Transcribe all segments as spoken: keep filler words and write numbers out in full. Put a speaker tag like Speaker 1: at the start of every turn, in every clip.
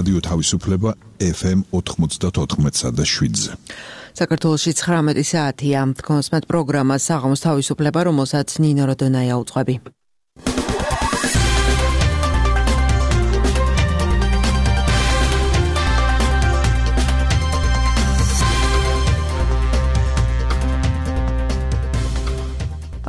Speaker 1: რადიო თავისუფლება ეფ ემ ოთხმოცდათოთხმეტსა და შვიდზე.
Speaker 2: საქართველოში ცხრამეტი საათია. თქვენსმეთ პროგრამას საღამოს თავისუფლება, რომელსაც ნინო როდონაია უძღვები.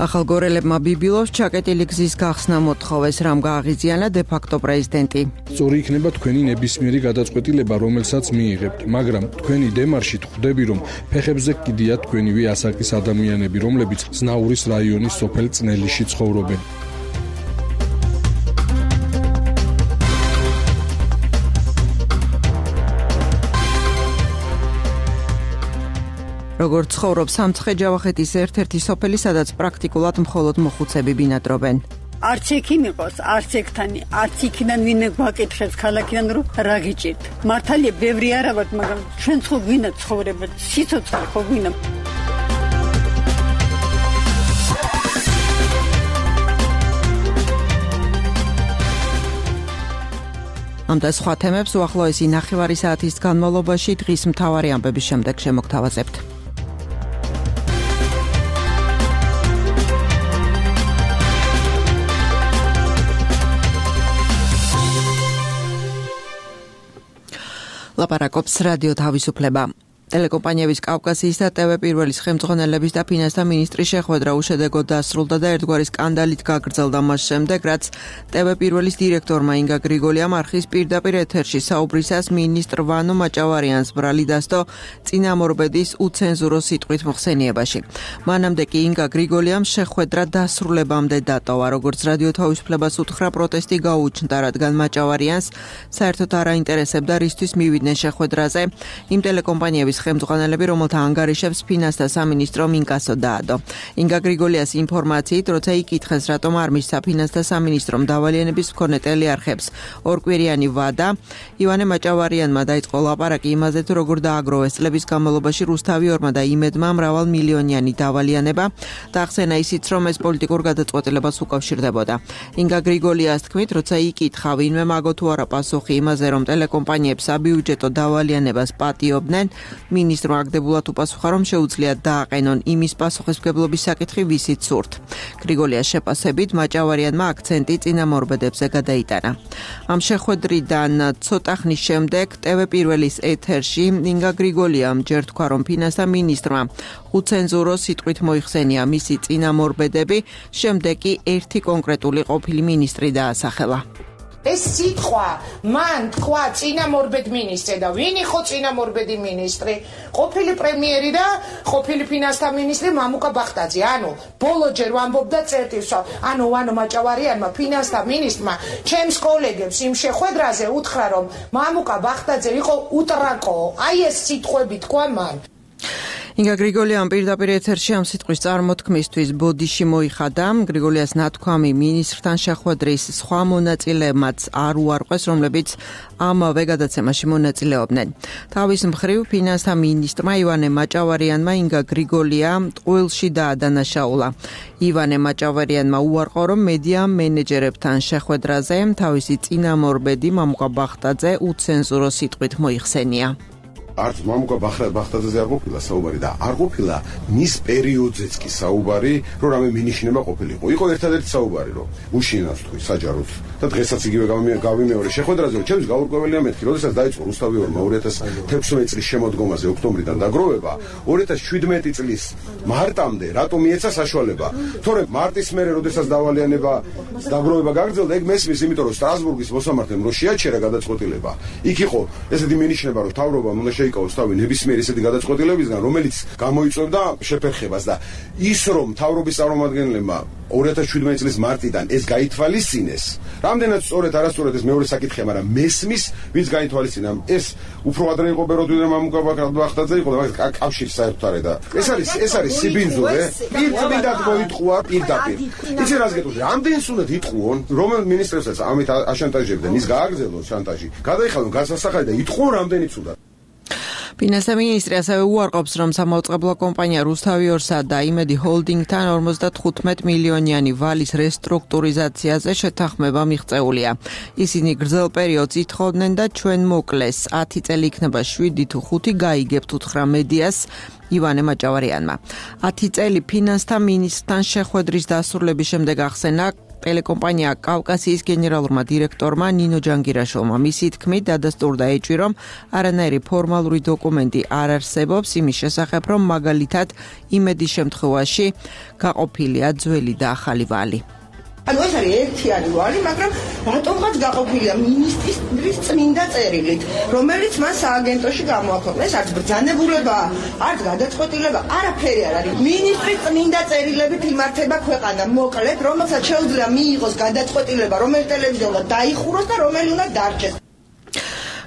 Speaker 2: ახალგორელებმა ბიბილოს ჩაკეტილი გზის გახსნა მოთხოვეს, რამ გააღიზიანა დე-ფაქტო პრეზიდენტი.
Speaker 3: სწორი იქნება თქვენი ნებისმიერი გადაწყვეტილება, რომელსაც მიიღებთ, მაგრამ თქვენი დემარშით ხვდები, რომ ფეხებზე კიდია თქვენივე ასაკის ადამიანები, რომლებიც ზნაურის რაიონის სოფელ წნელიში ცხოვრობენ.
Speaker 2: როგორც ცხოვრობს სამცხე-ჯავახეთის ერთ-ერთი სოფელი, სადაც პრაქტიკულად მხოლოდ მოხუცები ბინადრობენ.
Speaker 4: არც ექიმ იყოს, არც ექთანი, არც იქიდან ვინმე გვაკითხებს ქალაქიდან, რომ რა გიჭირთ. მართალია ბევრი არა ვართ, მაგრამ ჩვენ ხო გვინდა ცხოვრება, სიცოცხლე ხო გვინდა. ამ და სხვა თემებს უახლოესი ნახევარი საათის განმავლობაში დღის მთავარი ამბების შემდეგ შემოგთავაზებთ. ლაპარაკობს რადიო თავისუფლება. ტელეკომპანიების კავკასიის და ტევ პირველის ხელმძღვანელების და ფინანსთა მინისტრის შეხვედრა უშედეგოდ დასრულდა და ერთგვარი სკანდალით გაგრძელდა მას შემდეგ, რაც ტევ პირველის დირექტორმა ინგა გრიგოლიამ არხის პირდაპირ ეთერში საუბრისას მინისტრ ვანო მაჭავარიანს ბრალი დასდო წინამორბედის უცენზურო სიტყვით მოხსენიებაში. მანამდე კი ინგა გრიგოლიამ შეხვედრა დასრულებამდე დატოვა, როგორც რადიო თავისუფლებას უთხრა, პროტესტი გაუჩნდა, რადგან მაჭავარიანს საერთოდ არ აინტერესებდა რისთვის მივიდნენ შეხვედრაზე იმ ტელეკომპანიების ხელმძღვანელები, რომელთა ანგარიშებს ფინანსთა სამინისტრო მინკასო დაადო. ინგა გრიგოლიას ინფორმაციით, როცა იკითხეს, რატომ არ მისცა ფინანსთა სამინისტრომ დავალიანების მქონე ტელეარხებს ორკვირიანი ვადა, ივანე მაჭავარიანმა დაიწყო ლაპარაკი იმაზე, თუ როგორ დააგროვეს წლების განმავლობაში რუსთავი ორმა და იმედმა მრავალ მილიონიანი დავალიანება და ახსენა ისიც, რომ ეს პოლიტიკურ გადაწყვეტილებას უკავშირდებოდა. ინგა გრიგოლიას თქმით, როცა იკითხა, ვინმე მაგო თუ არა პასუხი იმაზე, რომ ტელეკომპანიებს საბიუჯეტო დავალიანებას პატიობდნენ, მინისტრმა აგდებულად უპასუხა, რომ შეუძლიათ დააყენონ იმის პასუხისმგებლობის საკითხი, ვისით სურთ. გრიგოლიას შეფასებით, მაჭავარიანმა აქცენტი წინამორბედებზე გადაიტანა. ამ შეხვედრიდან ცოტა ხნის შემდეგ ტევ პირველის ეთერში ინგა გრიგოლიამ ჯერ თქვა, რომ ფინანსთა მინისტრმა უცენზურო სიტყვით მოიხსენია მისი წინამორბედები, შემდეგ კი ერთი კონკრეტული ყოფილი მინისტრი დაასახელა.
Speaker 5: ეს სიტყვა მან თქვა წინამორბედ მინისტრი და ვინ იყო წინამორბედი მინისტრი? ყოფილი პრემიერი და ყოფილი ფინანსთა მინისტრი მამუკა ბახტაძე. ანუ ბოლოჯერ ვამბობდა წერტილსო, ანუ ვანო მაჭავარიანმა ფინანსთა მინისტრმა ჩემს კოლეგებს იმ შეხვედრაზე უთხრა, რომ მამუკა ბახტაძე იყო უტრაკო. აი ეს სიტყვები თქვა მან.
Speaker 2: ინგა გრიგოლიამ პირდაპირ ეთერში ამ სიტყვის წარმოთქმისთვის ბოდიში მოიხადა. გრიგოლიას ნათქვამი მინისტრთან შეხვედრის სხვა მონაწილეებმაც არ უარყვეს, რომლებიც ამავე გადაცემაში მონაწილეობდნენ. თავის მხრივ ფინანსთა მინისტრმა ივანე მაჭავარიანმა ინგა გრიგოლია ტყუილში დაადანაშაულა. ივანე მაჭავარიანმა უარყო, რომ მედია მენეჯერებთან შეხვედრაზე თავისი წინამორბედი მამუკა ბახტაძე უცენზურო სიტყვით მოიხსენია.
Speaker 6: არც მამუკა ბახტაძეზე არ ყოფილა საუბარი და არ ყოფილა მის პერიოდზეც კი საუბარი, რომ რამე მინიშნება ყოფილიყო. იყო ერთადერთი საუბარი, რომ უშინავს თქვი საჯაროდ და დღესაც იგივე გავიმეორე შეხვედრაზე, რომ ჩემს გაურკვეველია მეთქი, როდესაც დაიწყო რუსთავი ორმა ორი ათას თექვსმეტ წლის შემოდგომაზე ოქტომბრიდან დაგროვება, ორი ათას შვიდმეტი წლის მარტამდე რატომ მიეცა საშუალება? თორემ მარტის მერე, როდესაც დავალიანება დაგროვება გაგრძელდა, ეგ მესმის, იმიტომ რომ სტრასბურგის მოსამართლემ რო შეაჩერა გადაწყვეტილება. იქ იყო ესეთი მინიშნება, რომ თავრობამ უნდა შეიკავოს თავი ნებისმიერი ესეთი გადაწყვეტილებისგან, რომელიც გამოიწვევდა შეფერხებას და ის რომ თავრობის წარმომადგენლებმა ორი ათას შვიდმეტი წლის მარტიდან ეს გაითვალისწინეს, რამდენად სწორედ არასწორედ ეს მეორე საკითხია, მაგრამ მესმის ვინც გაითვალისწინა, ეს უფრო ადრე იყო ბეროდვიდან მამუკა ბახტაძე იყო, მაგრამ კავშირი საერთოდ არ და ეს არის ეს არის სიბინძურე, პირდაპირ მოიტყუა პირდაპირ. იცი რას გეტყვი, რამდენს უნდა იტყუონ, რომელ მინისტრებსაც ამით აშანტაჟებდნენ, ის გააგრძელოს შანტაჟი, გადაიხადონ გასასახალი და იტყუონ რამდენიც უნდა.
Speaker 2: ფინანსთა მინისტრი ასევე უარყოფს, რომ სამაუწყებლო კომპანია რუსთავიორსა და იმედი ჰოლდინგთან ორმოცდათხუთმეტ მილიონიანი ვალის რესტრუქტურიზაციაზე შეთანხმება მიღწეულია. ისინი გრძელ პერიოდს ითხოვდნენ და ჩვენ მოკლეს. ათი წელი იქნება შვიდი თუ ხუთი გაიგებთ უთხრა მედიას ივანე მაჭავარიანმა. ათი წელი ფინანსთა მინისტრთან შეხვედრის დასრულების შემდეგ ახსენა ტელეკომპანია კავკასიის გენერალურმა დირექტორმა ნინო ჯანგირაშვილმა. მისი თქმით დადასტურდა ეჭვი, რომ არანაირი ფორმალური დოკუმენტი არ არსებობს იმის შესახებ, რომ მაგალითად იმედის შემთხვევაში გაყოფილია ძველი და ახალი ვალი.
Speaker 7: ანუ ეს არის ერთიანი ვალი, მაგრამ რატომღაც გაყოფილია მინისტრის წმინდა წერილით, რომელიც მას სააგენტოში გამოაქვეყნა. ეს არც ბრძანებულება, არც გადაწყვეტილება, არაფერი არ არის. მინისტრის წმინდა წერილებით იმართება ქვეყანა, მოკლედ, რომელსაც შეუძლია მიიღოს გადაწყვეტილება, რომელი ტელევიზია უნდა დაიხუროს და რომელი უნდა დარჩეს.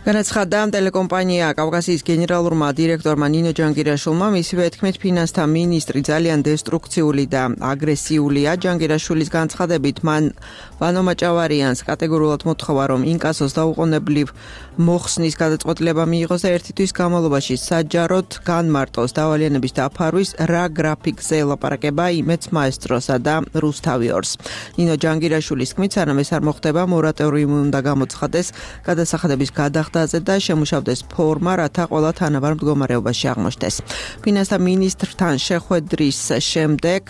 Speaker 2: განაცხადა ტელეკომპანია კავკასიის გენერალურმა დირექტორმა ნინო ჯანგირაშვილმა, მისივე თქმით ფინანსთა მინისტრი ძალიან დესტრუქციული და აგრესიულია. ჯანგირაშვილის განცხადებით მან ვანო მაჭავარიანს კატეგორიულად მოთხოვა, რომ ინკასოს დაუყოვნებლივ მოხსნის გადაწყვეტილება მიიღოს და ერთი თვის განმავლობაში საჯაროდ განმარტოს დავალიანების დაფარვის რა გრაფიკზე ელაპარაკება იმედს მაესტროსა და რუსთავიორს. ნინო ჯანგირაშვილის თქმით, სანამ ეს არ მოხდება, მორატორიუმი უნდა გამოცხადეს გადასახადების გადახდა და შემუშავდეს ფორმა, რათა ყველა თანაბარ მდგომარეობაში აღმოჩნდეს. ფინანსთა მინისტრთან შეხვედრის შემდეგ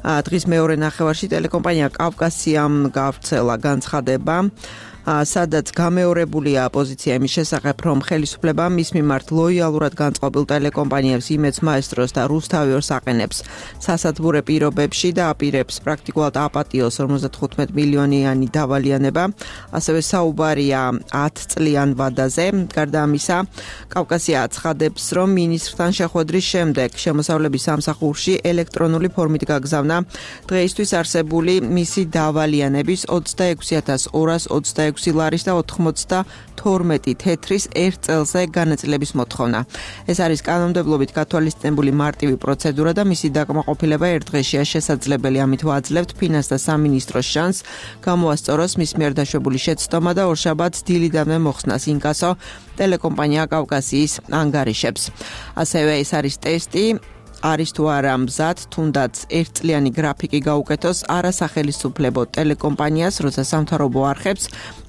Speaker 2: დღის მეორე ნახევარში ტელეკომპანია კავკასიამ გავრცელა განცხადება, სადაც გამეორებულია პოზიცია იმის შესახებ, რომ ხელისუფლება მის მიმართ ლოიალურად განწყობილ ტელეკომპანიებს იმედს მაესტროს და რუსთავიორს აყენებს სასათბურე პირობებში და აპირებს პრაქტიკულად აპატიოს ორმოცდათხუთმეტ მილიონიანი დავალიანება. ასევე საუბარია ათ წლიან ვადაზე. გარდა ამისა, კავკასია აცხადებს, რომ მინისტრთან შეხვედრის შემდეგ შემოსავლების სამსახურში ელექტრონული ფორმით გაგზავნა დღეისთვის არსებული მისი დავალიანების ოცდაექვსი ათას ორას ოცდაექვსი ლარის და ოთხმოცდათორმეტი თეთრის ერთ წელზე განაწილების მოთხოვნა. ეს არის კანონმდებლობით გათვალისწინებული მარტივი პროცედურა და მისი დაკმაყოფილება ერთ დღეშია შესაძლებელი. ამით ვაძლევთ ფინანსთა სამინისტროს შანსს გამოასწოროს მის მიერ დაშვებული შეცდომა და ორშაბათს დილიდანვე მოხსნას ინკასო ტელეკომპანია კავკასიის ანგარიშებს. ასევე ეს არის ტესტი, არის თუ არა მზად თუნდაც ერთწლიანი გრაფიკი გაუკეთოს არასახელისუფლებო ტელეკომპანიას, როცა სამთავრობო არხებს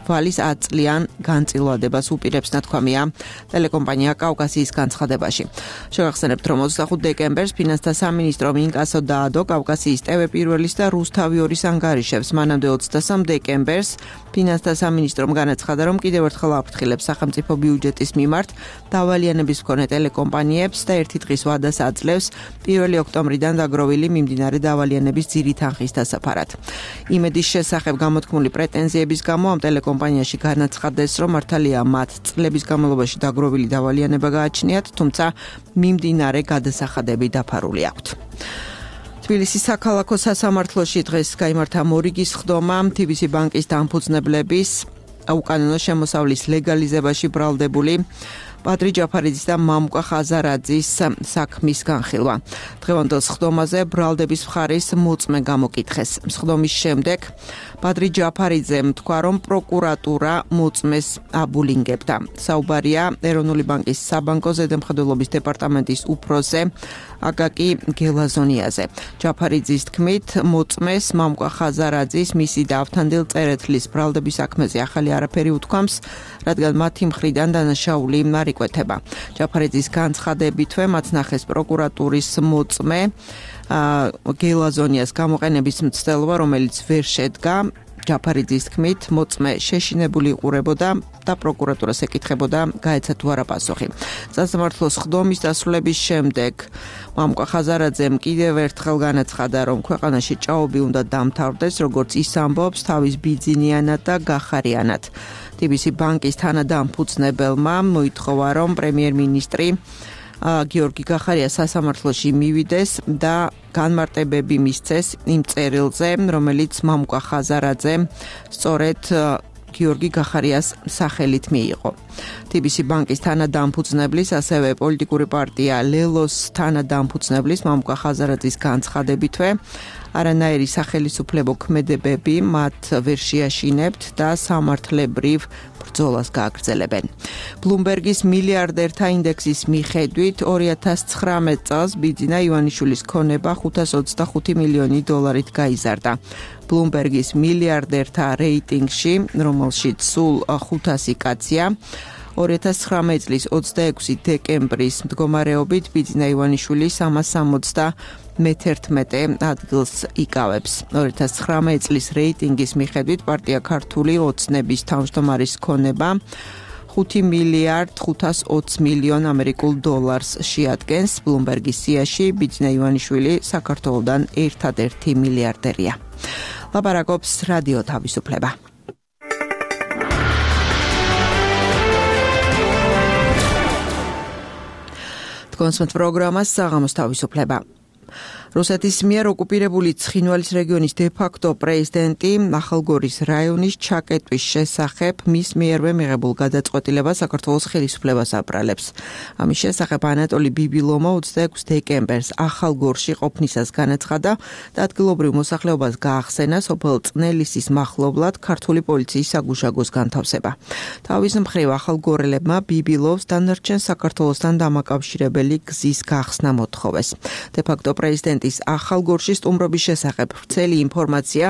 Speaker 2: ვალის ათწლიან განწილვადებას უპირებს, ნათქვამია ტელეკომპანია კავკასიის განცხადებაში. შევახსენებთ, რომ ოცდახუთი დეკემბერს ფინანსთა სამინისტრომ ინკასო დაადო კავკასიის ტევ პირველის და რუსთავიორის ანგარიშებს. მანამდე ოცდასამ დეკემბერს ფინანსთა სამინისტრომ განაცხადა, რომ კიდევ ერთხელ აფრთხილებს სახელმწიფო ბიუჯეტის მიმართ დავალიანების მქონე ტელეკომპანიებს და ერთი დღის ვადას აძლევს პირველი ოქტომბრიდან დაგროვილი მიმდინარე დავალიანების ძირი თანხის დასაფარად. იმედის შესახებ გამოთქმული პრეტენზიების გამო ამ ტელეკომპანიებში კომპანიაში განაცხადეს, რომ მართალია მათ წლების განმავლობაში დაგროვილი დავალიანება გააჩნიათ, თუმცა მიმდინარე გადასახადები დაფარული აქვთ. თბილისის საქალაქო სასამართლოში დღეს გაიმართა მორიგის ხდომა თი ბი სი ბანკის დამფუძნებლების უკანონო შემოსავლის ლეგალიზებაში ბრალდებული პატრი ჯაფარიძის და მამუკა ხაზარაძის საქმის განხილვა. დღევანდელ სხდომაზე ბრალდების მხარის მოწმე გამოკითხეს. სხდომის შემდეგ პატრი ჯაფარიძემ თქვა, რომ პროკურატურა მოწმეს აბულინგებდა. საუბარია ეროვნული ბანკის საბანკო ზედამხედველობის დეპარტამენტის უფროსზე აკაკი გელაზონიაზე. ჯაფარიძის თქმით, მოწმეს მამუკა ხაზარაძის მისი და ავთანდილ წერეთლის ბრალდების საქმეზე ახალი არაფერი უთქვამს, რადგან მათი მხრიდან დანაშაული არ იკვეთება. ჯაფარიძის განცხადებითვე მათ ნახეს პროკურატურის მოწმე გელაზონიას გამოყენების მცდელობა, რომელიც ვერ შედგა. ჯაფარიძის თქმით, მოწმე შეშინებული იყურებოდა და პროკურატურას ეკითხებოდა, გაეცა თუ არა პასუხი. სასამართლოს სხდომის დასრულების შემდეგ მამუკა ხაზარაძემ კიდევ ერთხელ განაცხადა, რომ ქვეყანაში ჭაობი უნდა დამთავრდეს, როგორც ის ამბობს, თავის ბიძინიანად და გახარიანად. თი ბი სი ბანკის თანადამფუძნებელმა მოითხოვა, რომ პრემიერ-მინისტრი გიორგი გახარია სასამართლოში მივიდეს და განმარტებები მისცეს იმ წერილზე, რომელიც მამუკა ხაზარაძე სწორედ გიორგი გახარიას სახელით მიიღო. T B C ბანკის თანადამფუძნებლის, ასევე პოლიტიკური პარტია ლელოს თანადამფუძნებლის მამუკა ხაზარაძის განცხადებითვე არანაირი სახელისუფლებო ქმედებები მათ ვერ შეაშინებთ და სამართლებრივ ბრძოლას გააგრძელებენ. Bloomberg-ის მილიარდერთა ინდექსის მიხედვით ორი ათას ცხრამეტ წელს ბიძინა ივანიშვილის ქონება ხუთას ოცდახუთი მილიონი დოლარით გაიზარდა. Bloomberg-ის მილიარდერთა რეიტინგში, რომელშიც სულ ხუთასი კაცია, ორი ათას ცხრამეტ წლის ოცდაექვსი დეკემბრის მდგომარეობით ბიძინა ივანიშვილი სამას სამოცდა მეთერთმეტე ადგილს იკავებს. ორი ათას ცხრამეტ წლის რეიტინგის მიხედვით პარტია ქართული ოცნების თავმჯდომარის ქონება ხუთი მილიარდ ხუთას ოცი მილიონ ამერიკულ დოლარს შეადგენს. Bloomberg-ის სიაში ბიძინა ივანიშვილი საქართველოდან ერთადერთი მილიარდერია. ლაპარაკობს რადიო თავისუფლება. კონსმეთ პროგრამას საღამოს თავისუფლება. რუსეთის მიერ ოკუპირებული ცხინვალის რეგიონის დე-ფაქტო პრეზიდენტი ახალგორის რაიონის ჩაკეტვის შესახებ მის მიერვე მიღებულ გადაწყვეტილებას საქართველოს ხელისუფლებას აბრალებს. ამის შესახებ ანატოლი ბიბილომა ოცდაექვსი დეკემბერს ახალგორში ყოფნისას განაცხადა და ადგილობრივ მოსახლეობას გაახსენა სოფელ წნელისის მახლობლად ქართული პოლიციის საგუშაგოს განთავსება. თავის მხრივ ახალგორელებმა ბიბილოვს დანარჩენ საქართველოსთან დამაკავშირებელი გზის გახსნა მოთხოვეს. დე-ფაქტო პრეზიდენტის ახალგორში სტუმრობის შესახებ ვრცელი ინფორმაცია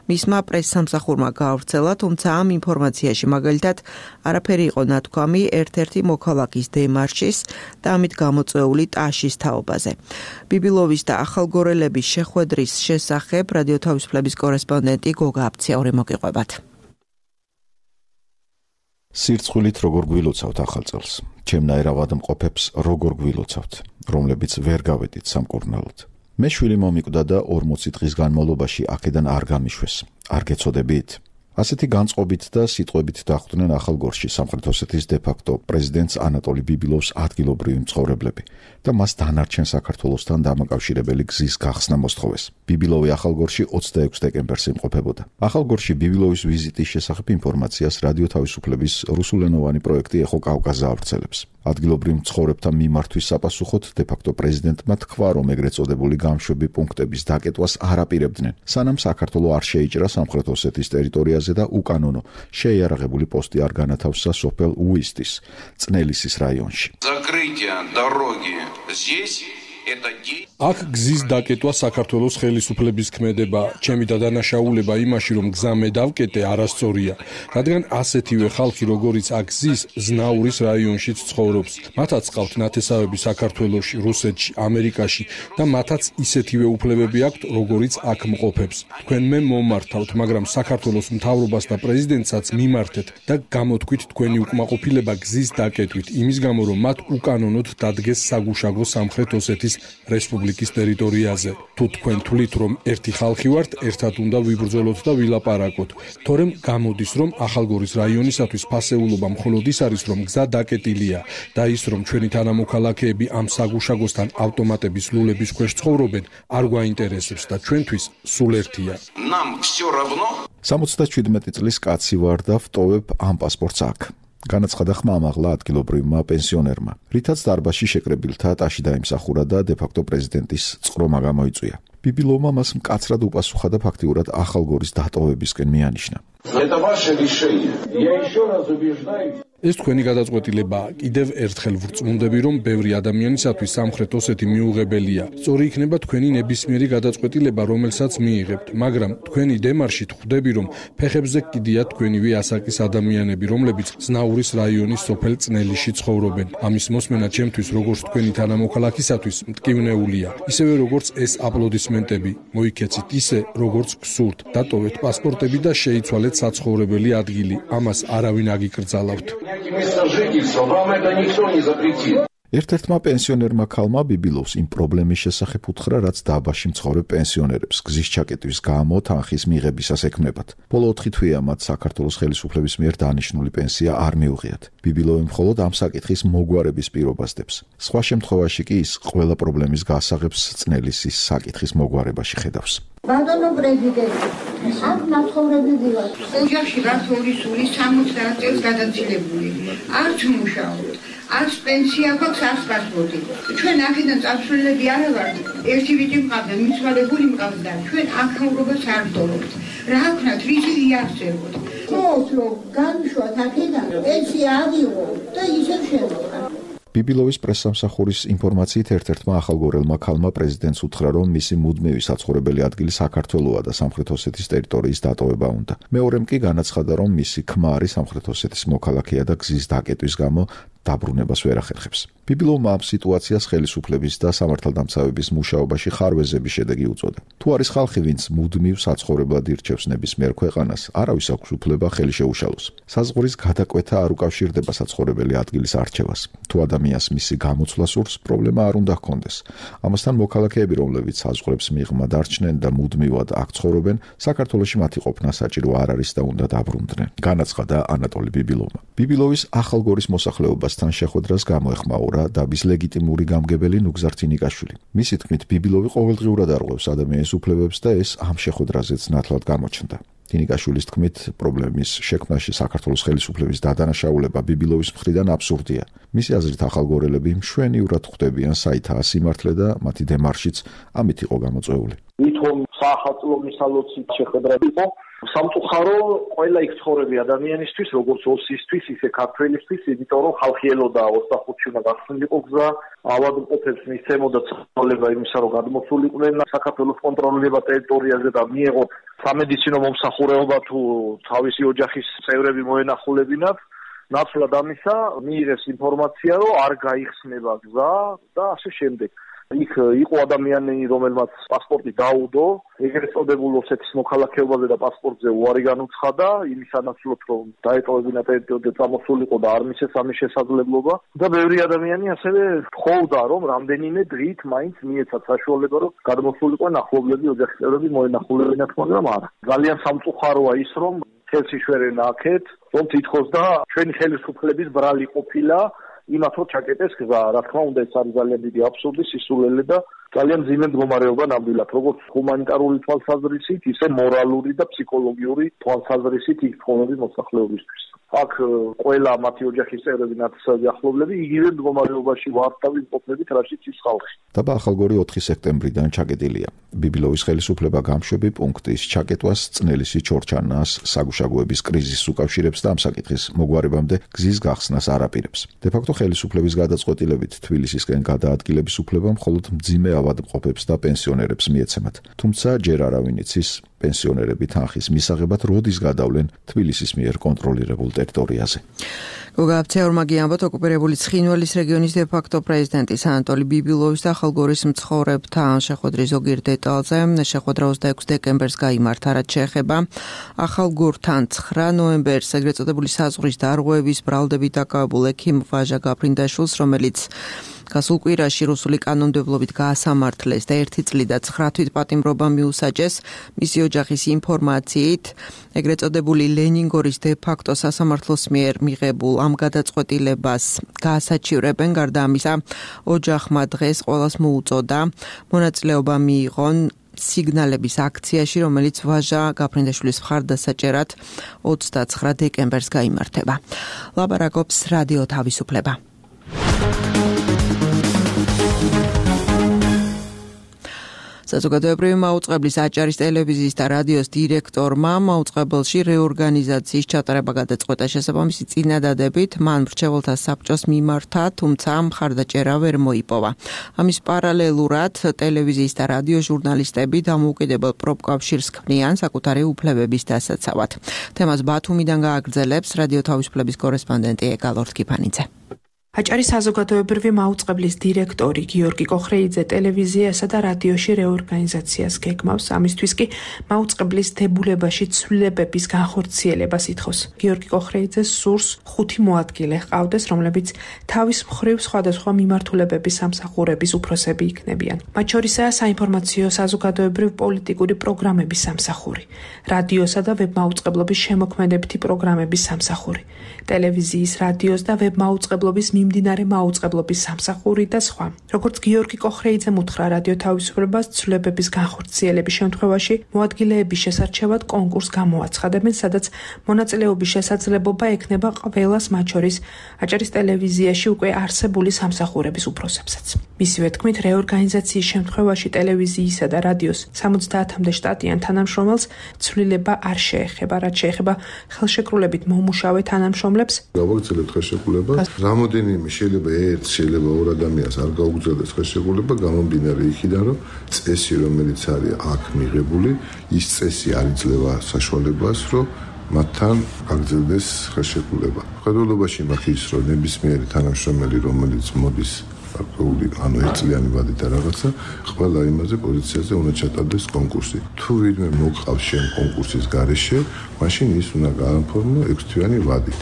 Speaker 2: მისმა პრესსამსახურმა გაავრცელა, თუმცა ამ ინფორმაციაში მაგალითად არაფერი იყო ნათქვამი ერთ-ერთი მოქალაქის დემარშის და ამით გამოწვეული ტაშის თაობაზე. ბიბილოვის და ახალგორელების შეხვედრის შესახებ რადიო თავისუფლების კორესპონდენტი გოგა აფციაური მოგიყვებათ.
Speaker 1: სირცხვილით როგორ გვილოცავთ ახალ წელს? ჩემნაირ ავადმყოფებს როგორ გვილოცავთ, რომლებიც ვერ გავედით სამკურნალოდ? მე შვილი მომიკვდა და ორმოცი დღის განმავლობაში აქედან არ გამიშვეს. არ გეცოდებით? ასეთი განწყობით და სიტყვებით დახვდნენ ახალგორში სამხრეთ ოსეთის დე-ფაქტო პრეზიდენტს ანატოლი ბიბილოვს ადგილობრივი მცხოვრებლები და მას დანარჩენ საქართველოსთან დამაკავშირებელი გზის გახსნა მოსთხოვეს. ბიბილოვი ახალგორში ოცდაექვსი დეკემბერს იმყოფებოდა. ახალგორში ბიბილოვის ვიზიტის შესახებ ინფორმაციას რადიო თავისუფლების რუსულენოვანი პროექტი ეხო კავკაზზე ავრცელებს. ადგილობრივ მცხოვრებთა მიმართვის საპასუხოდ დე-ფაქტო პრეზიდენტმა თქვა, რომ ეგრეთ წოდებული გამშვები პუნქტების დაკეტვას არ აპირებდნენ, სანამ საქართველო არ შეიჭრა სამხრეთ ოსეთის ტერიტორიაზე და უკანონო შეიარაღებული პოსტი არ განათავსა სოფელ უისტის წნელისის რაიონში.
Speaker 3: აქ გზის დაკეტვა საქართველოს ხელისუფლების ქმედება, ჩემი დადანაშაულება იმაში, რომ გზა მე დავკეტე, არასწორია, რადგან ასეთივე ხალხი, როგორიც აქ გზის ზნაურის რაიონშიც ცხოვრობს. მათაც ყავთ ნათესავები საქართველოში, რუსეთში, ამერიკაში და მათაც ისეთივე უფლებები აქვთ, როგორიც აქ მყოფებს. თქვენ მე მომართავთ, მაგრამ საქართველოს მთავრობას და პრეზიდენტსაც მიმართეთ და გამოთქვით თქვენი უკმაყოფილება გზის დაკეტვით, იმის გამო, რომ მათ უკანონოდ დადგეს საგუშაგო სამხრეთ ოსეთის რესპუბლიკის ტერიტორიაზე. თუ თქვენ თვლით, რომ ერთი ხალხი ვართ, ერთად უნდა ვიბრძოლოთ და ვილაპარაკოთ. თორემ გამოდის, რომ ახალგორის რაიონისათვის ფასეულობა მხოლოდ ის არის, რომ გზა დაკეტილია და ის, რომ ჩვენი თანამოქალაქეები ამ საგუშაგოსთან ავტომატების ლულების ქვეშ ცხოვრობენ, არ გვაინტერესებს და ჩვენთვის სულ ერთია.
Speaker 1: სამოცდაჩვიდმეტი წლის კაცი ვარ და ვტოვებ ამ პასპორტს აქ. განაცხადა ხმამაღლა ადგილობრივმა პენსიონერმა, რითაც დარბაზში შეკრებილთა ტაში დაიმსახურა და დე-ფაქტო პრეზიდენტის წყრომა გამოიწვია. ბიბილოვმა მას მკაცრად უპასუხა და ფაქტიურად ახალგორის დატოვებისკენ მიანიშნა.
Speaker 3: ეს თქვენი გადაწყვეტილებაა. კიდევ ერთხელ ვრწმუნდები, რომ ბევრი ადამიანისათვის სამხრეთ ოსეთი მიუღებელია. სწორი იქნება თქვენი ნებისმიერი გადაწყვეტილება, რომელსაც მიიღებთ, მაგრამ თქვენი დემარშით ხვდები, რომ ფეხებზე კიდიათ თქვენივე ასაკის ადამიანები, რომლებიც ზნაურის რაიონის სოფელ წნელიში ცხოვრობენ. ამის მოსმენა ჩემთვის, როგორც თქვენი თანამოქალაქისათვის, მტკივნეულია. ისევე როგორც ეს აპლოდისმენტები. მოიქეცით ისე, როგორც გსურთ. დატოვეთ პასპორტები და შეიცვალეთ საცხოვრებელი ადგილი. ამას არავინ აგიკრძალავთ.
Speaker 1: ერთ-ერთმა პენსიონერმა ქალმა ბიბილოვს იმ პრობლემის შესახებ უთხრა, რაც დაბაში მცხოვრებ პენსიონერებს გზის ჩაკეტვის გამო თანხის მიღებისას ექმნებათ. ბოლო ოთხი თვეა მათ საქართველოს ხელისუფლების მიერ დანიშნული პენსია არ მიუღიათ. ბიბილოვი მხოლოდ ამ საკითხის მოგვარების პირობას დებს. სხვა შემთხვევაში კი ის ყველა პრობლემის გასაღებს წნელისის საკითხის მოგვარებაში ხედავს.
Speaker 8: ბატონო პრეზიდენტი, აქ მაცხოვრებელი ვარ. ოჯახში ვართ ორი სული სამოცდაათ წელს გადაცილებული. არც მუშაობ. არც პენსია გვაქვს, არც პასპორტი. ჩვენ აქედან წასვლელები არა ვართ. ერთი ვიჭი მყავდა, მიცვალებული მყავდა. ჩვენ აქაურობას არ ვდორობთ. რა ვქნათ, რითი იარსებოთ. მოთო, განვშოთ აქედან, პენსია ავიღო და ისევ შევყავ.
Speaker 1: ბიბილოვის პრესსამსახურის ინფორმაციით ერთ-ერთმა ახალგორელმა ქალმა პრეზიდენტს უთხრა, რომ მისი მუდმივი საცხოვრებელი ადგილი საქართველოა და სამხრეთ ოსეთის ტერიტორიის დატოვება უნდა. მეორემ კი განაცხადა, რომ მისი ქმარი სამხრეთ ოსეთის მოქალაქეა და გზის დაკეტვის გამო დაბრუნებას ვერ ახერხებს. ბიბილოვმა ამ სიტუაციას ხელისუფლების და სამართალდამცავების მუშაობაში ხარვეზების შედეგი უწოდა. თუ არის ხალხი, ვინც მუდმივ საცხოვრებლად ირჩევს ნებისმიერ ქვეყანას, არავის აქვს უფლება ხელი შეუშალოს. საზღვრის გადაკვეთა არ უკავშირდება საცხოვრებელი ადგილის არჩევას. თუ ადამიანს მისი გამოცვლა სურს, პრობლემა არ უნდა ჰქონდეს. ამასთან მოქალაქეები, რომლებიც საზღვრებს მიღმა დარჩნენ და მუდმივად აქ ცხოვრობენ, საქართველოში მათი ყოფნა საჭირო არ არის და უნდა დაბრუნდნენ. განაცხადა ანატოლი ბიბილოვმა. ბიბილოვის ახალგორის მოსახლეობას თან შეხვედრას გამოეხმაურა დაბის ლეგიტიმური გამგებელი ნუგზარ თინიკაშვილი. მისი თქმით, ბიბილოვი ყოველდღიურად არღვევს ადამიანის უფლებებს და ეს ამ შეხვედრაზეც ნათლად გამოჩნდა. თინიკაშვილის თქმით, პრობლემის შექმნაში საქართველოს ხელისუფლების დადანაშაულება ბიბილოვის მხრიდან აბსურდია. მისი აზრით, ახალგორელები მშვენივრად ხვდებიან საითაა სიმართლე და მათი დემარშიც ამით იყო გამოწვეული.
Speaker 9: ვითომ საახალწლო მისალოცით შეხვედრა იყო სამწუხარო ყველა იქ ცხოვრები ადამიანისთვის, როგორც ოსისთვის, ისე ქართველისთვის, იმიტომ რომ ხალხი ელოდა ოცდახუთში უნდა გახსნილიყო გზა, ავადმყოფებს მისცემოდა ცოლება იმისა, რომ გადმოსულიყვნენ საქართველოს კონტროლირება ტერიტორიაზე და მიეღოთ სამედიცინო მომსახურეობა თუ თავისი ოჯახის წევრები მოენახულებინათ. ნაცვლად ამისა მიიღეს ინფორმაცია, რომ არ გაიხსნება გზა და ასე შემდეგ. იქ იყო ადამიანი, რომელმაც პასპორტი დაუდო, ეგრეთ წოდებულ ოსეთის მოქალაქეობაზე და პასპორტზე უარი განუცხადა, იმის ანაცვლოდ, რომ დაეტოვებინა ტერიტორია წამოსულიყო და არ მისცეს ამის შესაძლებლობა და ბევრი ადამიანი ასევე თხოვდა, რომ რამდენიმე დღით მაინც მიეცათ საშუალება, რომ გადმოსულიყო ნახულობლები, ოჯახის წევრები მოენახულებინათ, მაგრამ არა. ძალიან სამწუხაროა ის, რომ ხელსიშვერენა აქეთ, რომ თითქოს და ჩვენი ხელისუფლების ბრალი ყოფილა იმათ რომ ჩაკეტეს გზა, რა თქმა უნდა, ეს არის ძალიან დიდი აბსურდი, სისულელე და ძალიან მძიმე მდგომარეობა ნამდვილად, როგორც ჰუმანიტარული თვალსაზრისით, ისე მორალური და ფსიქოლოგიური თვალსაზრისით იქ ცხოვრების მოსახლეობისთვის. აქ ყველა მათი ოჯახის წევრები, ნათესავები, ახლობლები იგივე მდგომარეობაში ვარდავი მყოფნებით, რაშიც ის ხალხი.
Speaker 1: დაბა ახალგორი ოთხი სექტემბრიდან ჩაკეტილია. ბიბილოვის ხელისუფლება გამშვები პუნქტის ჩაკეტვას, წნელისი ჩორჩანას, საგუშაგოების კრიზისს უკავშირებს და ამ საკითხის მოგვარებამდე გზის გახსნას არ აპირებს. დე-ფაქტო ხელისუფლების გადაწყვეტილებით თბილისისკენ გადაადგილების უფლება მხოლოდ მძიმე ავადმყოფებს და პენსიონერებს მიეცემათ. თუმცა ჯერ არავინ იცის, პენსიონერები თანხის მისაღებად როდის გადავლენ თბილისის მიერ კონტროლირებულ ტერიტორიაზე.
Speaker 2: გოგა აფცეორმაგი ამბობთ, ოკუპირებული ცხინვალის რეგიონის დე-ფაქტო პრეზიდენტის ანატოლი ბიბილოვის და ახალგორის მცხოვრებთან შეხვედრის ზოგიერთ დეტალზე. შეხვედრა ოცდაექვსი დეკემბერს გაიმართა, რაც შეეხება ახალგორთან ცხრა ნოემბერს ეგრეთ წოდებული საზღვრის დარღვევების ბრალდებით დაკავებულ ექიმ ვაჟა გაფრინდაშვილს, რომელიც გასულ კვირაში რუსული კანონმდებლობით გაასამართლეს და ერთი წლით და ცხრა თვით პატიმრობა მიუსაჯეს. მისი ოჯახის ინფორმაციით, ეგრეთ წოდებული ლენინგორის დე-ფაქტო სასამართლოს მიერ მიღებულ ამ გადაწყვეტილებას გაასაჩივრებენ. გარდა ამისა, ოჯახმა დღეს ყველას მოუწოდა მონაწილეობა მიიღონ სიგნალების აქციაში, რომელიც ვაჟა გაფრინდაშვილის მხარდასაჭერად ოცდაცხრა დეკემბერს გაიმართება. ლაპარაკობს რადიო თავისუფლება. საზოგადოებრივი მაუწყებლის აჭარის ტელევიზიის და რადიოს დირექტორმა მაუწყებელში რეორგანიზაციის ჩატარება გადაწყვეტა. შესაბამისი წინადადებით მან მრჩეველთა საბჭოს მიმართა, თუმცა მხარდაჭერა ვერ მოიპოვა. ამის პარალელურად ტელევიზიის და რადიოს ჟურნალისტები დამოუკიდებელ პროფკავშირს ქმნიან საკუთარი უფლებების დასაცავად. თემას ბათუმიდან გააგრძელებს რადიო თავისუფლების კორესპონდენტი ეკალორთ კიფანიძე.
Speaker 10: აჭარის საზოგადოებრივი მაუწყებლის დირექტორი გიორგი კოხრეიძე ტელევიზიასა და რადიოში რეორგანიზაციას გეგმავს. ამისთვის კი მაუწყებლის დებულებაში ცვლილებების განხორციელებას ითხოვს. გიორგი კოხრეიძე სურს ხუთი მოადგილე ჰყავდეს, რომლებიც თავის მხრივ სხვადასხვა მიმართულებების სამსახურების უფროსები იქნებიან. მათ შორისაა საინფორმაციო საზოგადოებრივ პოლიტიკური პროგრამების სამსახური, რადიოსა და ვებმაუწყებლობის შემოქმედებითი პროგრამების სამსახური, ტელევიზიის, რადიოს და ვებმაუწყებლობის მიმდინარე მაუწყებლობის სამსახური და სხვა. როგორც გიორგი კოხრეიძემ უთხრა რადიო თავისუფლებას, ცვლილებების განხორციელების შემთხვევაში მოადგილეების შესარჩევად კონკურსს გამოაცხადებენ, სადაც მონაწილეობის შესაძლებლობა ექნება ყველას, მათ შორის აჭარის ტელევიზიაში უკვე არსებული სამსახურების უფროსებსაც. მისივე თქმით, რეორგანიზაციის შემთხვევაში ტელევიზიისა და რადიოს სამოცდაათამდე შტატიან თანამშრომელს ცვლილება არ შეეხება, რაც შეეხება ხელშეკრულებით მომუშავე თანამშრომლებს.
Speaker 11: გავაგრძელებთ ხელშეკრულებას. რამოდენიმე შეიძლება ერთ, შეიძლება ორ ადამიანს არ გაუგზავნოს ხელშეკრულება, გამომდინარე იქიდან, რომ წესი, რომელიც არის აქ მიღებული, ის წესი არ იძლევა საშუალებას, რომ მათთან გაგრძელდეს ხელშეკრულება. ხელშეკრულებაში მაქვს ის, რომ ნებისმიერი თანამშრომელი, რომელიც მოდის გარკვეული ანუ ერთწლიანი ვადით და რაღაცა, ყველა იმაზე პოზიციაზე უნდა ჩატარდეს კონკურსი. თუ ვინმე მოყავს შენ კონკურსის გარეშე, მაშინ ის უნდა გააფორმო ექვსთვიანი ვადით.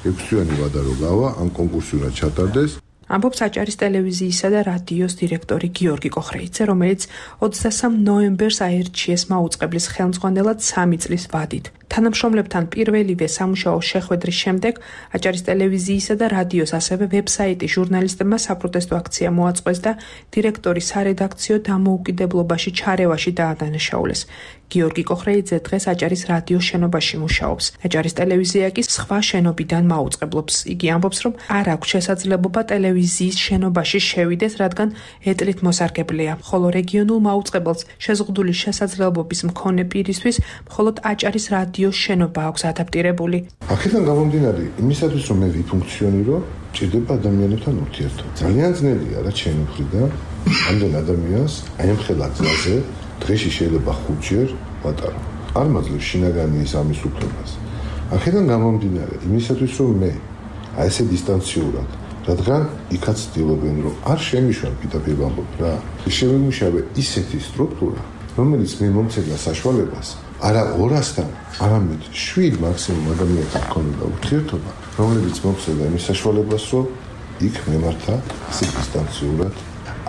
Speaker 11: ექვსთვიანი ვადა რო გავა, ამ კონკურსი უნდა ჩატარდეს.
Speaker 10: ამბობს აჭარის ტელევიზიისა და რადიოს დირექტორი გიორგი კოხრეიძე, რომელიც ოცდასამ ნოემბერს აერჩიეს მაუწყებლის ხელმძღვანელად სამი წლის ვადით. თანამშრომლებთან პირველივე სამუშაო შეხვედრის შემდეგ აჭარის ტელევიზიისა და რადიოს, ასევე ვებსაიტის ჟურნალისტებმა საპროტესტო აქცია მოაწყვეს და დირექტორი სარედაქციო დამოუკიდებლობაში ჩარევაში დაადანაშაულეს. გიორგი კოხრეიძე დღეს აჭარის რადიოს შენობაში მუშაობს. აჭარის ტელევიზია კი სხვა შენობიდან მაუწყებლობს. იგი ამბობს, რომ არ აქვს შესაძლებლობა ტელევიზიის შენობაში შევიდეს, რადგან ეტლით მოსარგებლეა, ხოლო რეგიონულ მაუწყებელს შეზღუდული შესაძლებლობის მქონე პირისთვის მხოლოდ აჭარის რადიოს შენობა აქვს ადაპტირებული.
Speaker 11: აქედან გამომდინარე, იმისათვის რომ მე ვიფუნქციონირო, ჭირდება ადამიანებთან ურთიერთობა. ძალიან ძნელია რა ჩემი მხრიდან ამდენ ადამიანს აი ამ ხელა გზაზე დღეში შეიძლება ხუთჯერ ვატარო. არ მაძლევს შინაგანი ის ამის უფლებას. აქედან გამომდინარე, იმისათვის რომ მე აი ესე დისტანციურად, რადგან იქაც ცდილობენ რომ არ შემიშვან პირდაპირ ვამბობ რა. შემიმუშავე ისეთი სტრუქტურა, რომელიც მე მომცემდა საშუალებას არა ორასთან, არამედ შვიდ მაქსიმუმ ადამიანთან ქონოდა ურთიერთობა, რომელიც მომცემდა იმის საშუალებას, რომ იქ მემართა ისე დისტანციურად.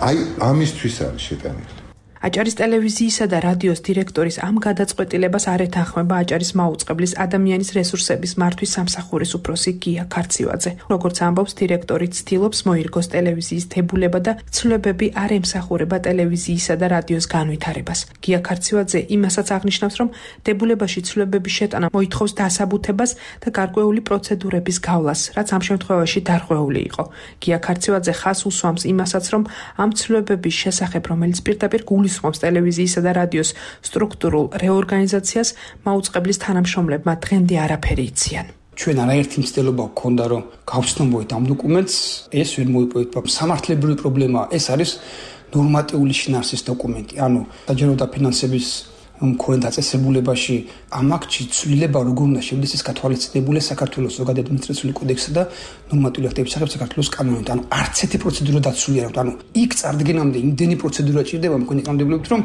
Speaker 11: აი ამისთვის არის შეტანილი.
Speaker 10: აჭარის ტელევიზიისა და რადიოს დირექტორის ამ გადაწყვეტილებას არ ეთანხმება აჭარის მაუწყებლის ადამიანის რესურსების მართვის სამსახურის უფროსი გია ქარცივაძე. როგორც ამბობს, დირექტორი ცდილობს მოირგოს ტელევიზიის დებულება და ცვლილებები არ ემსახურება ტელევიზიისა და რადიოს განვითარებას. გია ქარცივაძე იმასაც აღნიშნავს, რომ დებულებაში ცვლილებების შეტანა მოითხოვს დასაბუთებას და გარკვეული პროცედურების გავლას, რაც ამ შემთხვევაში დარღვეული იყო. გია ქარცივაძე ხაზს უსვამს იმასაც, რომ ამ ცვლილებების შესახებ, რომელიც პირდაპირ გულისხმობს ტელევიზიისა და რადიოს სტრუქტურულ რეორგანიზაციას, მაუწყებლის თანამშრომლებმა დღემდე არაფერი იციან.
Speaker 12: ჩვენ არაერთი მცდელობა გქონდა, რომ გავცნობოით ამ დოკუმენტს, ეს ვერ მოიპოვეთ. სამართლებრივი პრობლემა ეს არის ნორმატიული შინაარსის დოკუმენტი. ანუ საჯარო დაფინანსების მქონე დაწესებულებაში ამ აქტში ცვლილება როგორ უნდა შევიდეს, ის გათვალისწინებულია საქართველოს ზოგადად ადმინისტრაციული კოდექსსა და ნორმატიული აქტების შესახებ საქართველოს კანონით. ანუ არც ერთი პროცედურა დაცული არ აქვს. ანუ იქ წარდგენამდე იმდენი პროცედურა ჭირდება მქონე კანონმდებლობით, რომ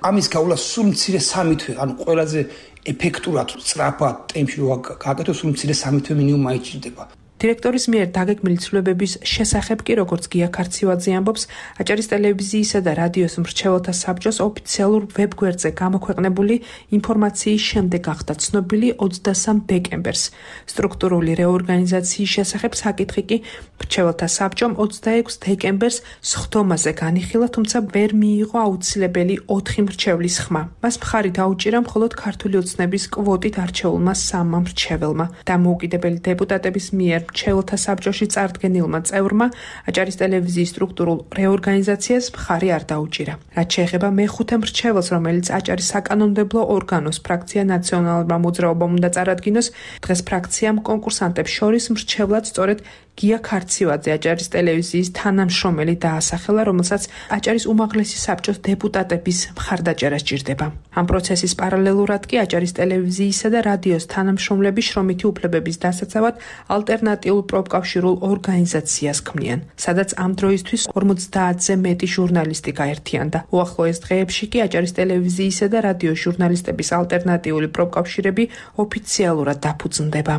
Speaker 12: ამის გავლა სულ მცირე სამი თვე, ანუ ყველაზე ეფექტურად, სწრაფად ტემპში რო გააკეთოს, სულ მცირე სამი თვე მინიმუმ აიჭირდება.
Speaker 10: დირექტორის მიერ დაგეგმილი ცვლილებების შესახებ კი, როგორც გია ქარცივაძე ამბობს, აჭარის ტელევიზიისა და რადიოს მრჩეველთა საბჭოს ოფიციალურ ვებგვერდზე გამოქვეყნებული ინფორმაციის შემდეგ გახდა ცნობილი ოცდასამ დეკემბერს. სტრუქტურული რეორგანიზაციის შესახებ საკითხი კი მრჩეველთა საბჭომ ოცდაექვს დეკემბერს სხდომაზე განიხილა, თუმცა ვერ მიიღო აუცილებელი ოთხი მრჩევლის ხმა. მას მხარი დაუჭირა მხოლოდ ქართული ოცნების კვოტით არჩეულმა სამმა მრჩეველმა. დამოუკიდებელი დეპუტატების მიერ მრჩეველთა საბჭოში წარდგენილმა წევრმა აჭარის ტელევიზიის სტრუქტურულ რეორგანიზაციას მხარი არ დაუჭირა. რაც შეეხება მეხუთე მრჩეველს, რომელიც აჭარის საკანონმდებლო ორგანოს ფრაქცია ნაციონალურმა მოძრაობამ უნდა წარადგინოს, დღეს ფრაქციამ კონკურსანტებს შორის მრჩევლად სწორედ გია ქარცივაძე, აჭარის ტელევიზიის თანამშრომელი დაასახელა, რომელსაც აჭარის უმაღლესი საბჭოს დეპუტატების მხარდაჭერა სჭირდება. ამ პროცესის პარალელურად კი აჭარის ტელევიზიისა და რადიოს თანამშრომლები შრომითი უფლებების დასაცავად ალტერნატიულ პროფკავშირულ ორგანიზაციას ქმნიან, სადაც ამ დროისთვის ორმოცდაათზე მეტი ჟურნალისტი გაერთიანდა. უახლოეს დღეებში კი აჭარის ტელევიზიისა და რადიოს ჟურნალისტების ალტერნატიული პროფკავშირები ოფიციალურად დაფუძნდება.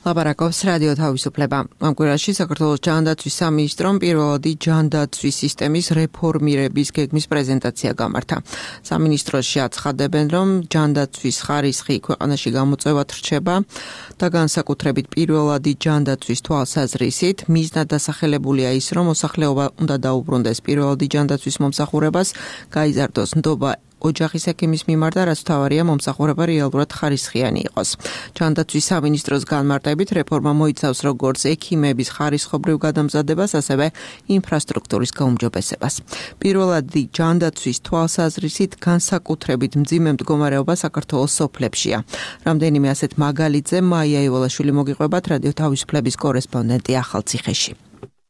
Speaker 2: ლაპარაკობს რადიო თავისუფლება. ამ კვირაში საქართველოს ჯანდაცვის სამინისტრომ პირველადი ჯანდაცვის სისტემის რეფორმირების გეგმის პრეზენტაცია გამართა. სამინისტროში აცხადებენ, რომ ჯანდაცვის ხარისხი ქვეყანაში გამოწვევად რჩება და განსაკუთრებით პირველადი ჯანდაცვის თვალსაზრისით მიზნად დასახელებულია ის, რომ მოსახლეობა უნდა დაუბრუნდეს პირველადი ჯანდაცვის მომსახურებას, გაიზარდოს ნდობა ოჯახის ექიმის მიმართ და რაც მთავარია მომსახურება რეალურად ხარისხიანი იყოს. ჯანდაცვის სამინისტროს განმარტებით რეფორმა მოიცავს როგორც ექიმების ხარისხობრივ გადამზადებას, ასევე ინფრასტრუქტურის გაუმჯობესებას. პირველადი ჯანდაცვის თვალსაზრისით განსაკუთრებით მძიმე მდგომარეობა საქართველოს სოფლებშია. რამდენიმე ასეთ მაგალითზე მაია ივალაშვილი მოგიყვებათ რადიო თავისუფლების კორესპონდენტი ახალციხეში.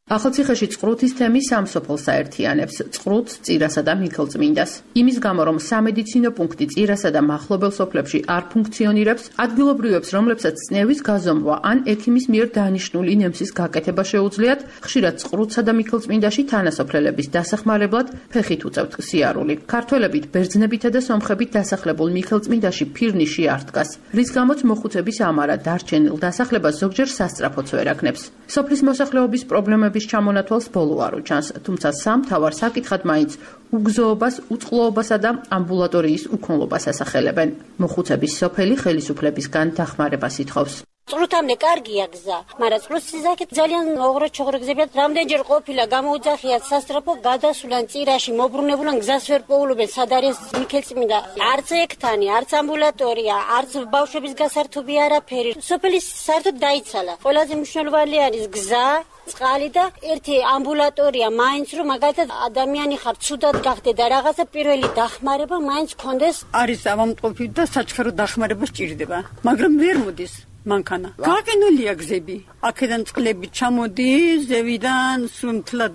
Speaker 13: ახალციხეში წყრუთის თემი სამ სოფელს აერთიანებს, წყრუთს, წირასა და მიქელწმინდას. იმის გამო, რომ სამედიცინო პუნქტი წირასა და მახლობელ სოფლებში არ ფუნქციონირებს, ადგილობრივებს, რომლებსაც წნევის გაზომვა ან ექიმის მიერ დანიშნული ნემსის გაკეთება შეუძლიათ, ხშირად წყრუთსა და მიქელწმინდაში თანასოფლელების დასახმარებლად ფეხით უწევთ სიარული. ქართველებით, ბერძნებითა და სომხებით დასახლებულ მიქელწმინდაში ფირნიში არ დგას, რის გამოც მოხუცების ამარა დარჩენილ დასახლებას ზოგჯერ სასწრაფოც ვერ აქნებს. სოფლის მოსახლეობის პრობლემები ჩამონათვალს ბოლო არ უჩანს, თუმცა სამთავარ საკითხად მაინც უგზოობას, უწყლოობასა და ამბულატორიის უქონლობას ასახელებენ. მოხუცების სოფელი ხელისუფლებისგან დახმარებას ითხოვს.
Speaker 14: წყრუთამდე კარგია გზა, მაგრამ წყრუთის აქეთ ძალიან ოღროჩოღრო გზებია. რამდენჯერ ყოფილა გამოუძახიათ სასწრაფო, გადასულან წირაში მობრუნებულან გზას ვერ პოულობენ, სად არის მიქელწმინდა. არც ექთანი, არც ამბულატორია, არც ბავშვების გასართობი არაფერი. სოფელი საერთოდ დაიცალა. ყველაზე მნიშვნელოვანი არის გზა, წყალი და ერთი ამბულატორია, მაინც რომ მაგალითად ადამიანი ხარ, ცუდად გახდე და რაღაცა პირველი დახმარება მაინც კონდეს.
Speaker 15: არის ავამტყოფი და საჩქარო დახმარება სჭირდება, მაგრამ ვერ მოდის. მანქანა. გაყინულია გზები. აქედან წყლები ჩამოდის, ზევიდან სუნთლად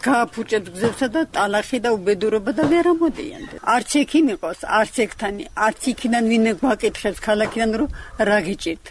Speaker 15: გააფუჭებს გზებსა და ტალახი და უბედურობა და ვერ ამოდიან. არც ექიმი ყავს, არც ექთანი, არც იქიდან ვინმე გვაკითხებს ქალაქიდან რომ რა გიჭირთ.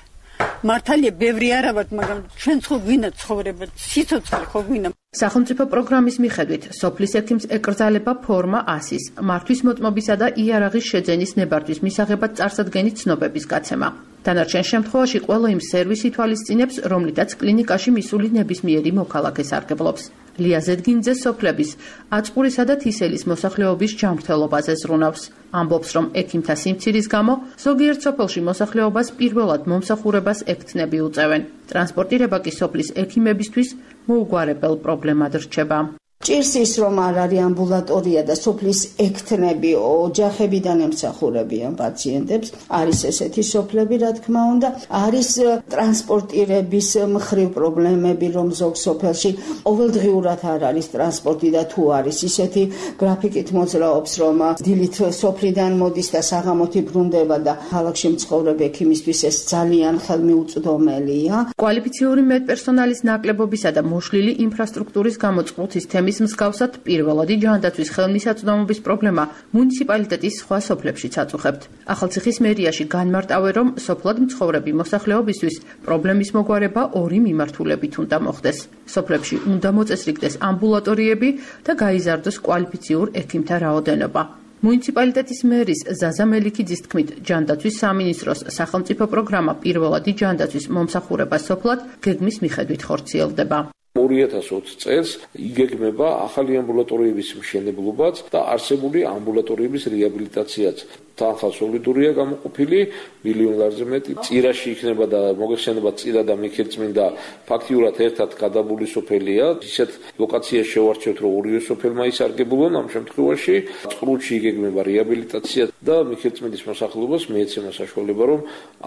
Speaker 15: მართალია ბევრი არა ვართ, მაგრამ ჩვენც ხო გვინდა ცხოვრება, სიცოცხლე ხო გვინდა.
Speaker 13: სახელმწიფო პროგრამის მიხედვით სოფლის ექიმს ეკრძალება ფორმა ასის, მართვის მოწმობისა და იარაღის შეძენის ნებართვის მისაღებად წარსადგენის ცნობების გაცემა. დანარჩენ შემთხვევაში ყველა იმ სერვისი ითვალისწინებს, რომლითაც კლინიკაში მისული ნებისმიერი მოქალაქე სარგებლობს. ლია ზედგინძე სოფლების აწყურისა და თისელის მოსახლეობის ჯანმრთელობაზე ზრუნავს. ამბობს, რომ ექიმთა სიმცირის გამო ზოგიერთ სოფელში მოსახლეობას პირველად მომსახურებას ექთნები უწევენ. ტრანსპორტირება კი სოფლის ექიმებისთვის მოუგვარებელ პრობლემად რჩება.
Speaker 16: ჭირს ის, რომ არ არის ამბულატორია და სოფლის ექთნები ოჯახებიდან ემსახურებიან პაციენტებს, არის ესეთი სოფლები, რა თქმა უნდა, არის ტრანსპორტირების მხრივ პრობლემები, რომ ზოგ სოფელში ყოველდღიურად არ არის ტრანსპორტი და თუ არის ისეთი გრაფიკით მოძრაობს, რომ დილით სოფლიდან მოდის და საღამოთი ბრუნდება და ქალაქში მცხოვრებ ექიმისთვის ეს ძალიან ხელმიუწვდომელია.
Speaker 13: კვალიფიციური მედპერსონალის ნაკლებობისა და მოშლილი ინფრასტრუქტურის გამო წყრუთის თემის მსგავსად პირველადი ჯანდაცვის ხელმისაწვდომობის პრობლემა მუნიციპალიტეტის სხვა სოფლებშიც აწუხებთ. ახალციხის მერიაში განმარტავენ, რომ სოფლად მცხოვრები მოსახლეობისთვის პრობლემის მოგვარება ორი მიმართულებით უნდა მოხდეს. სოფლებში უნდა მოწესრიგდეს ამბულატორიები და გაიზარდოს კვალიფიციურ ექიმთა რაოდენობა. მუნიციპალიტეტის მერის ზაზა მელიქიძის თქმით, ჯანდაცვის სამინისტროს სახელმწიფო პროგრამა პირველადი ჯანდაცვის მომსახურება სოფლად გეგმის მიხედვით ხორციელდება.
Speaker 17: ორი ათას ოცი წელს იგეგმება ახალი ამბულატორიების მშენებლობაც და არსებული ამბულატორიების რეაბილიტაციაც. თანხა სოლიდურია გამოყოფილი, მილიონ ლარზე მეტი. წირაში იქნება და მოგეხსენება წირა და მიქელწმინდა ფაქტიურად ერთად გადაბული სოფელია. ისეთ ლოკაციას შევარჩევთ, რომ ორივე სოფელმა ისარგებლონ ამ შემთხვევაში. წყრუთში იგეგმება რეაბილიტაცია და მიქელწმინდის მოსახლეობას მიეცემა საშუალება, რომ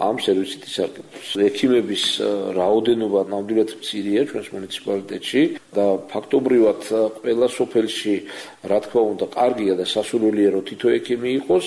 Speaker 17: ამ სერვისით ისარგებლოს. ექიმების რაოდენობა ნამდვილად მცირეა ჩვენს მუნიციპალიტეტში და ფაქტობრივად ყველა სოფელში, რა თქმა უნდა, კარგია და სასურველია, რომ თითო ექიმი იყოს,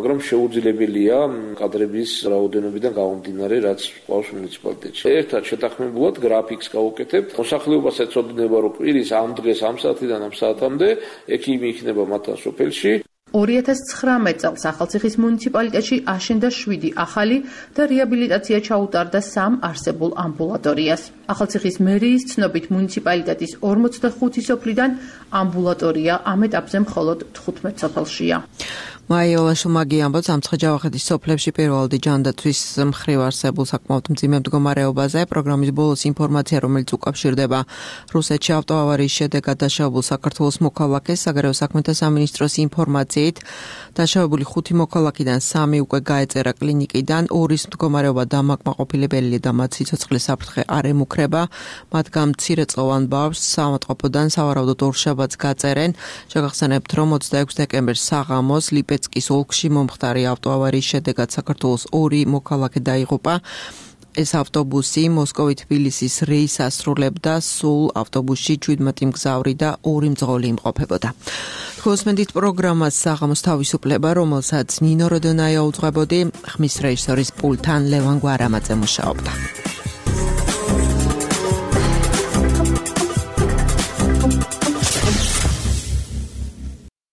Speaker 17: მაგრამ შეუძლებელია კადრების რაოდენობიდან გამომდინარე, რაც ყავს მუნიციპალიტეტში. ერთად შეთანხმებულად გრაფიკს გავუკეთებთ. მოსახლეობას ეცოდინება, რომ კვირის ამ დღეს ამ საათიდან ამ საათამდე ექიმი იქნება მათთან სოფელში.
Speaker 13: ორი ათას ცხრამეტ წელს ახალციხის მუნიციპალიტეტში აშენდა შვიდი ახალი და რეაბილიტაცია ჩაუტარდა სამ არსებულ ამბულატორიას. ახალციხის მერიის ცნობით მუნიციპალიტეტის ორმოცდახუთი სოფლიდან ამბულატორია ამ ეტაპზე მხოლოდ თხუთმეტ სოფელშია.
Speaker 2: მაიოლა შუმაგი ამბობს, ამცხე-ჯავახეთის სოფლებში პირველადი ჯანდაცვის მხრივ არსებულ საკმაოდ მძიმე მდგომარეობაზე. პროგრამის ბოლოს ინფორმაცია, რომელიც უკავშირდება რუსეთში ავტოავარიის შედეგად დაშავებულ საქართველოს მოქალაქეს, საგარეო საქმეთა სამინისტროს ინფორმაციით, დაშავებული ხუთი მოქალაქიდან სამი უკვე გაეწერა კლინიკიდან, ორის მდგომარეობა დამაკმაყოფილებელია და მათ სიცოცხლის საფრთხე არ ემუქრება. მათგან მცირეწლოვან ბავშვს საავადმყოფოდან სავარაუდოდ ორშაბათს გაწერენ. შეგახსენებთ, რომ ოცდაექვსი დეკემბერს საღამოს ლიპეცკის ოლქში მომხდარი ავტოავარიის შედეგად საქართველოს ორი მოქალაქე დაიღუპა. ეს ავტობუსი მოსკოვი-თბილისის რეისს ასრულებდა, სულ ავტობუსში შვიდმეტი მგზავრი და ორი მძღოლი იმყოფებოდა. ხოსმენდით პროგრამას საღამოს თავისუფლება, რომელსაც ნინო როდონაია უძღვებოდი, ხმის რეჟისორის პულტთან ლევან გვარამაძე მუშაობდა.